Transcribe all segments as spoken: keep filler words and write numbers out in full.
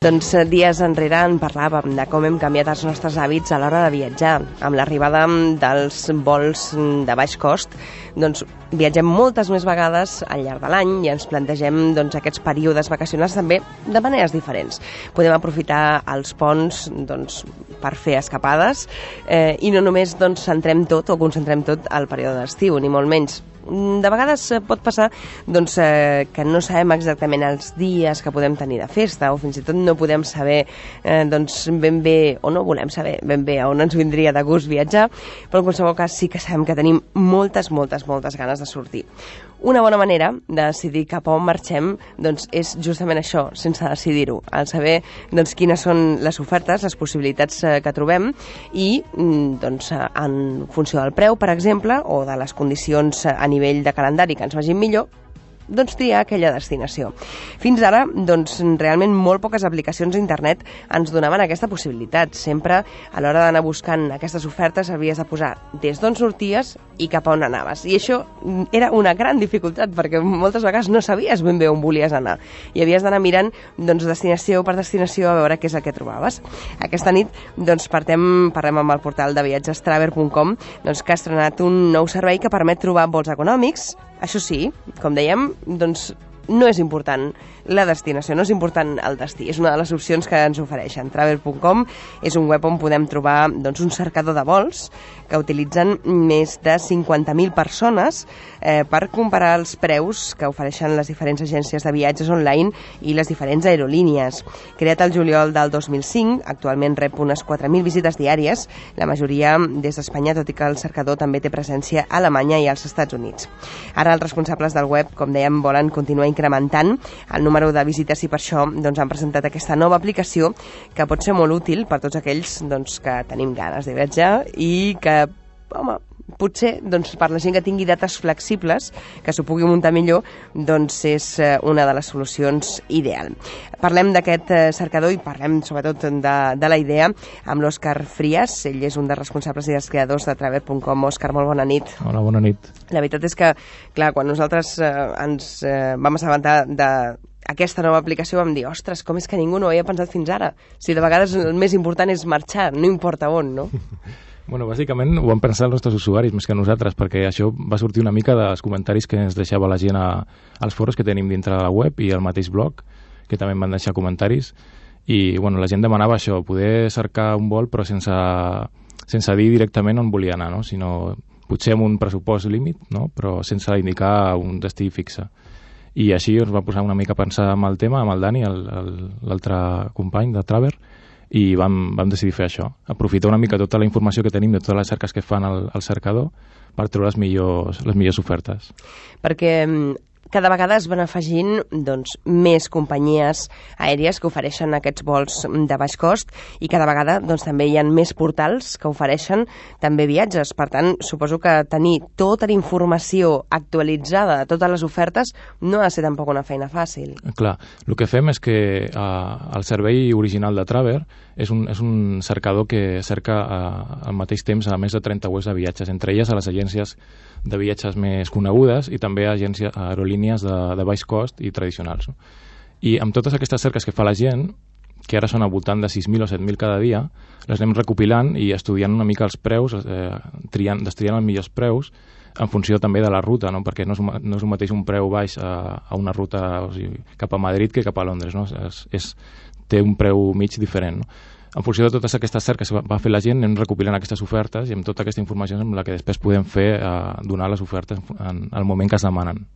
Doncs dies enrere en parlàvem de com hem canviat els nostres hàbits a l'hora de viatjar. Amb l'arribada dels vols de baix cost, doncs viatgem moltes més vegades al llarg de l'any i ens plantegem doncs, aquests períodes vacacionals també de maneres diferents. Podem aprofitar els ponts doncs, per fer escapades eh, i no només doncs, centrem tot o concentrem tot al període d'estiu, ni molt menys. De vegades pot passar doncs, eh, que no sabem exactament els dies que podem tenir de festa o fins i tot no podem saber eh, doncs, ben bé, o no volem saber ben bé on ens vindria de gust viatjar, però en qualsevol cas sí que sabem que tenim moltes, moltes, moltes ganes de sortir. Una bona manera de decidir cap a on marxem doncs, és justament això, sense decidir-ho, al saber doncs, quines són les ofertes, les possibilitats eh, que trobem i doncs, en funció del preu, per exemple, o de les condicions a nivell de calendari que ens vagin millor, doncs triar aquella destinació. Fins ara, doncs, realment molt poques aplicacions a internet ens donaven aquesta possibilitat. Sempre, a l'hora d'anar buscant aquestes ofertes, havies de posar des d'on sorties i cap a on anaves. I això era una gran dificultat, perquè moltes vegades no sabies ben bé on volies anar. I havies d'anar mirant doncs, destinació per destinació a veure què és el que trobaves. Aquesta nit doncs, partem, parlem amb el portal de viatges traver punt com, doncs, que ha estrenat un nou servei que permet trobar vols econòmics. Això sí, com dèiem, doncs no és important la destinació, no és important el destí. És una de les opcions que ens ofereixen. traver punt com és un web on podem trobar doncs, un cercador de vols que utilitzen més de cinquanta mil persones eh, per comparar els preus que ofereixen les diferents agències de viatges online i les diferents aerolínies. Creat el juliol del dos mil cinc, actualment rep unes quatre mil visites diàries, la majoria des d'Espanya, tot i que el cercador també té presència a Alemanya i als Estats Units. Ara els responsables del web, com dèiem, volen continuar incrementant el número de visites i per això doncs, han presentat aquesta nova aplicació que pot ser molt útil per tots aquells doncs, que tenim ganes de viatjar i que, home, potser doncs, per la gent que tingui dates flexibles, que s'ho pugui muntar millor, doncs és una de les solucions ideal. Parlem d'aquest cercador i parlem sobretot de, de la idea amb l'Òscar Frias. Ell és un dels responsables i dels creadors de traver punt com. Òscar, molt bona nit. Hola, bona nit. La veritat és que, clar, quan nosaltres eh, ens eh, vam assabentar de aquesta nova aplicació vam dir, ostres, com és que ningú no ho havia pensat fins ara? Si de vegades el més important és marxar, no importa on, no? Bueno, bàsicament ho han pensat els nostres usuaris més que nosaltres, perquè això va sortir una mica dels comentaris que ens deixava la gent a, als foros que tenim dintre de la web i al mateix blog, que també em van deixar comentaris, i bueno, la gent demanava això, poder cercar un vol però sense, sense dir directament on volia anar, no? Sinó potser amb un pressupost límit, no? Però sense indicar un destí fixe. I així ens va posar una mica a pensar amb el tema, amb el Dani, l'altre company de Traver, i vam, vam decidir fer això, aprofitar una mica tota la informació que tenim de totes les cerques que fan al, al cercador per treure les millors, les millors ofertes. Perquè cada vegada es van afegint doncs, més companyies aèries que ofereixen aquests vols de baix cost i cada vegada doncs, també hi ha més portals que ofereixen també viatges. Per tant, suposo que tenir tota la informació actualitzada de totes les ofertes no ha de ser tampoc una feina fàcil. Clar, el que fem és que eh, el servei original de Traver és un, és un cercador que cerca eh, al mateix temps a més de trenta webs de viatges, entre elles a les agències de viatges més conegudes i també a agències, a aerolínies de, de baix cost i tradicionals. No? I amb totes aquestes cerques que fa la gent, que ara són al voltant de sis mil o set mil cada dia, les anem recopilant i estudiant una mica els preus, eh, triant, destriant els millors preus en funció també de la ruta, no? Perquè no és, no és el mateix un preu baix a, a una ruta o sigui, cap a Madrid que cap a Londres. No? És, és, té un preu mig diferent. No? En funció de totes aquestes cerques que va fer la gent, anem recopilant aquestes ofertes i amb tota aquesta informació amb la que després podem fer eh, donar les ofertes en el moment que es demanen.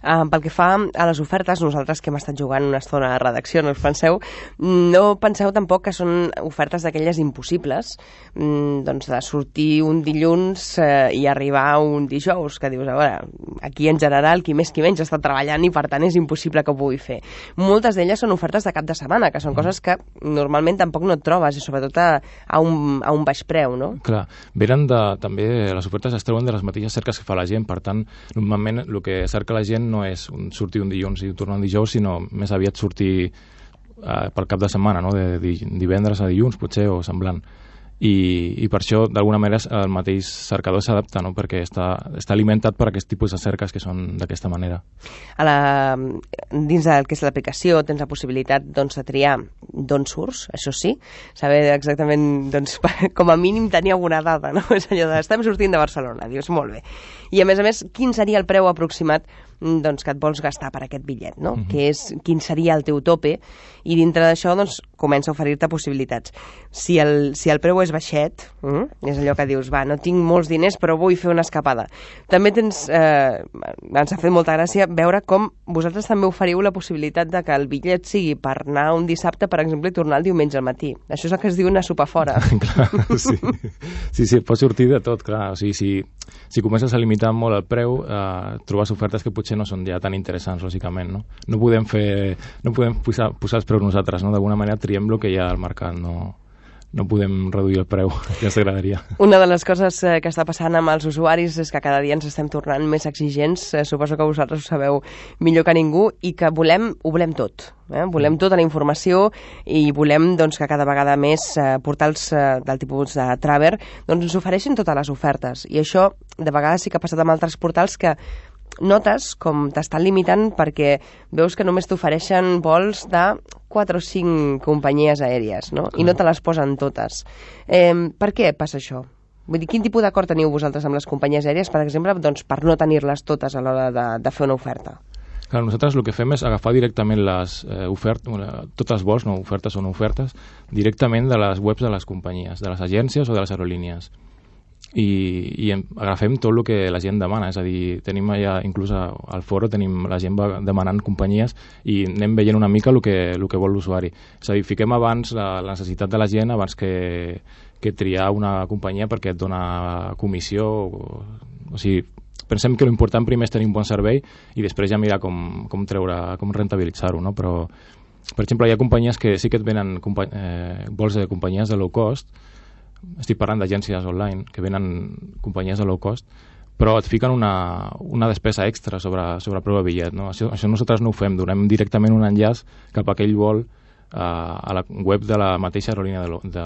Uh, pel que fa a les ofertes, nosaltres que hem estat jugant una estona a redacció, no us penseu, no penseu tampoc que són ofertes d'aquelles impossibles, mm, doncs de sortir un dilluns eh, i arribar un dijous, que dius, a veure, aquí en general, qui més qui menys està treballant i per tant és impossible que ho pugui fer. Moltes d'elles són ofertes de cap de setmana, que són coses que normalment tampoc no et trobes, i sobretot a, a, un, a un baix preu, no? Clar, venen de, també, les ofertes es treuen de les mateixes cerques que fa la gent, per tant, normalment el que cerca la gent no és un, sortir un dilluns i tornar un dijous, sinó més aviat sortir eh, pel cap de setmana, no? de, de divendres a dilluns, potser, o semblant. i, i per això, d'alguna manera, el mateix cercador s'adapta, no? Perquè està, està alimentat per aquest tipus de cerques que són d'aquesta manera. A la, dins del que és l'aplicació tens la possibilitat doncs, de triar d'on surts, això sí, saber exactament, doncs, com a mínim tenir alguna dada, no? És allò de, estem sortint de Barcelona, dius, molt bé. I a més a més, quin seria el preu aproximat doncs, que et vols gastar per aquest bitllet, no? Uh-huh. Que és, quin seria el teu tope, i dintre d'això doncs, comença a oferir-te possibilitats. Si el, si el preu és baixet, mm, és allò que dius, va, no tinc molts diners però vull fer una escapada. També tens, eh, ens ha fet molta gràcia veure com vosaltres també oferiu la possibilitat de que el bitllet sigui per anar un dissabte, per exemple, i tornar el diumenge al matí. Això és el que es diu una sopa fora. Clar, sí. Sí, sí, pot sortir de tot, clar. O sigui, si, si comences a limitar molt el preu, eh, trobes ofertes que potser no són ja tan interessants, lògicament, no? No podem fer, no podem posar, posar els preus nosaltres, no? D'alguna manera triem el que hi ha al mercat, no, no podem reduir el preu, ja ens agradaria. Una de les coses eh, que està passant amb els usuaris és que cada dia ens estem tornant més exigents, eh, suposo que vosaltres ho sabeu millor que ningú, i que volem, ho volem tot. Eh? Volem tota la informació i volem doncs, que cada vegada més eh, portals eh, del tipus de Traver doncs, ens ofereixin totes les ofertes. I això de vegades sí que ha passat amb altres portals que notes com t'estan limitant perquè veus que només t'ofereixen vols de quatre o cinc companyies aèries, no? I no te les posen totes. Eh, per què passa això? Vull dir, quin tipus d'acord teniu vosaltres amb les companyies aèries, per exemple, doncs, per no tenir-les totes a l'hora de, de fer una oferta? Clar, nosaltres el que fem és agafar directament les eh, ofertes, tots els vols, no ofertes o no ofertes, directament de les webs de les companyies, de les agències o de les aerolínies. I, i agafem tot el que la gent demana, és a dir, tenim allà, inclús al foro tenim la gent demanant companyies i anem veient una mica el que, el que vol l'usuari. És a dir, fiquem abans la, la necessitat de la gent abans que, que triar una companyia perquè et dona comissió, o, o sigui, pensem que l'important primer és tenir un bon servei i després ja mirar com, com treure, com rentabilitzar-ho, no? Però, per exemple, hi ha companyies que sí que et venen eh, vols de companyies de low cost. Estic parlant d'agències online que venen companyies de low cost, però et fiquen una, una despesa extra sobre, sobre el preu de bitllet, no? Això, això nosaltres no ho fem, donem directament un enllaç cap a aquell vol uh, a la web de la mateixa aerolínia de, lo, de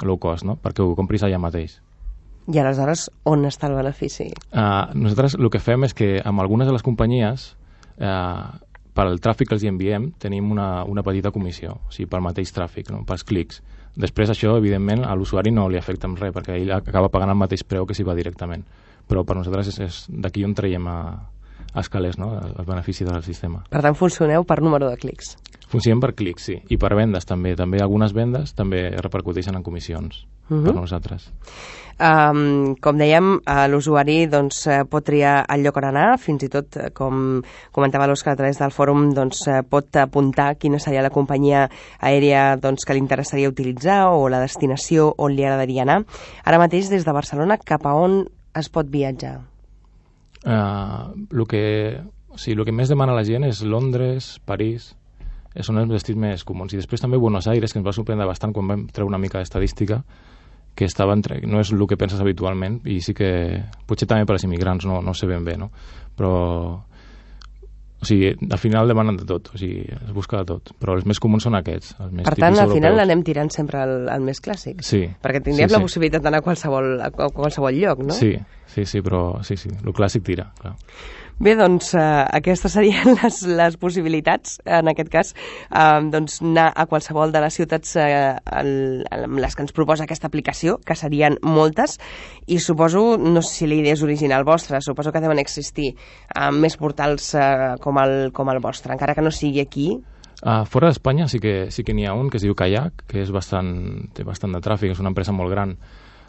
low cost, no? Perquè ho compris allà mateix. I aleshores, on està el benefici? Uh, nosaltres el que fem és que amb algunes de les companyies, uh, per al tràfic que els enviem, tenim una, una petita comissió, o sigui, pel mateix tràfic, no? Pels clics. Després això, evidentment, a l'usuari no li afecta en res, perquè ell acaba pagant el mateix preu que si va directament. Però per nosaltres és, és d'aquí on traiem a, a escalers, no? El benefici del sistema. Per tant, funcioneu per número de clics? Funcionem per clics, sí. I per vendes també. També algunes vendes també repercuteixen en comissions uh-huh. per nosaltres. Um, com dèiem, uh, l'usuari doncs, uh, pot triar el lloc on anar, fins i tot, uh, com comentava l'Òscar a través del fòrum, doncs, uh, pot apuntar quina seria la companyia aèria doncs, que li interessaria utilitzar o la destinació on li agradaria anar. Ara mateix, des de Barcelona, cap a on es pot viatjar? Uh, el que, o sigui, el que més demana la gent és Londres, París, són els destins més comuns. I després també Buenos Aires, que ens va sorprendre bastant quan vam treure una mica d'estadística, que estava entre, no és el que penses habitualment, i sí que potser també per als immigrants no, no sé ben bé, no? Però o sigui, al final demanen de tot, o sigui, es busca de tot, però els més comuns són aquests, els més per tant, al europeus. final l'anem tirant sempre al, al més clàssic, sí, perquè tindríem sí, la sí. possibilitat d'anar a qualsevol, a qualsevol lloc, no? Sí, sí, sí, però sí, sí, el clàssic tira, clar. Bé, doncs eh, aquestes serien les, les possibilitats, en aquest cas, eh, doncs anar a qualsevol de les ciutats eh, el, amb les que ens proposa aquesta aplicació, que serien moltes, i suposo, no sé si la idea és original vostra, suposo que deuen existir eh, més portals eh, com, el, com el vostre, encara que no sigui aquí. Uh, fora d'Espanya sí que sí que n'hi ha un que es diu Kayak, que és bastant, té bastant de tràfic, és una empresa molt gran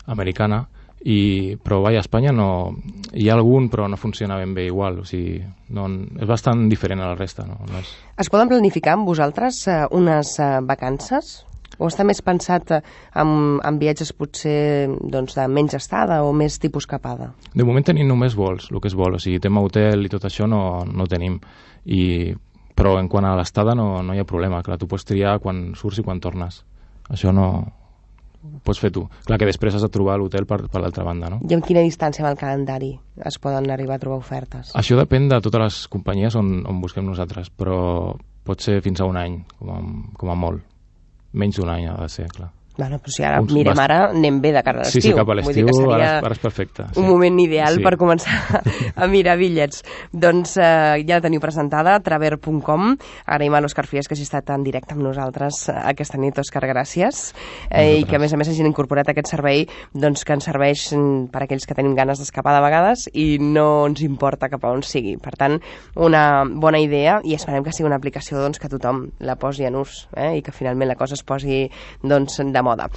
americana, i, però vaja, a Espanya no, hi ha algun però no funciona ben bé igual, o sigui, no, és bastant diferent a la resta. No? No és... Es poden planificar amb vosaltres eh, unes eh, vacances? O està més pensat eh, amb, amb viatges potser doncs, de menys estada o més tipus capada? De moment tenim només vols, el que és vol, o sigui, tema hotel i tot això no, no tenim, i, però en quant a l'estada no, no hi ha problema, clar, tu pots triar quan surts i quan tornes, això no... pots fer tu. Clar que després has de trobar l'hotel per, per l'altra banda, no? I amb quina distància amb el calendari es poden arribar a trobar ofertes? Això depèn de totes les companyies on, on busquem nosaltres, però pot ser fins a un any, com a, com a molt. Menys d'un any ha de ser, clar. Bueno, però si ara Uns mirem bast... ara, anem bé de cara a l'estiu. Sí, sí, cap a l'estiu ara, ara és perfecte. Sí. Un moment ideal sí. per començar a mirar bitllets. Doncs eh, ja la teniu presentada, traver punt com. Agraïm a l'Òscar Frias que hagi estat en directe amb nosaltres aquesta nit. Òscar, gràcies. Eh, I que a més a més hagin incorporat aquest servei doncs, que ens serveix per a aquells que tenim ganes d'escapar de vegades i no ens importa cap a on sigui. Per tant, una bona idea i esperem que sigui una aplicació doncs, que tothom la posi en ús eh, i que finalment la cosa es posi doncs, de moda.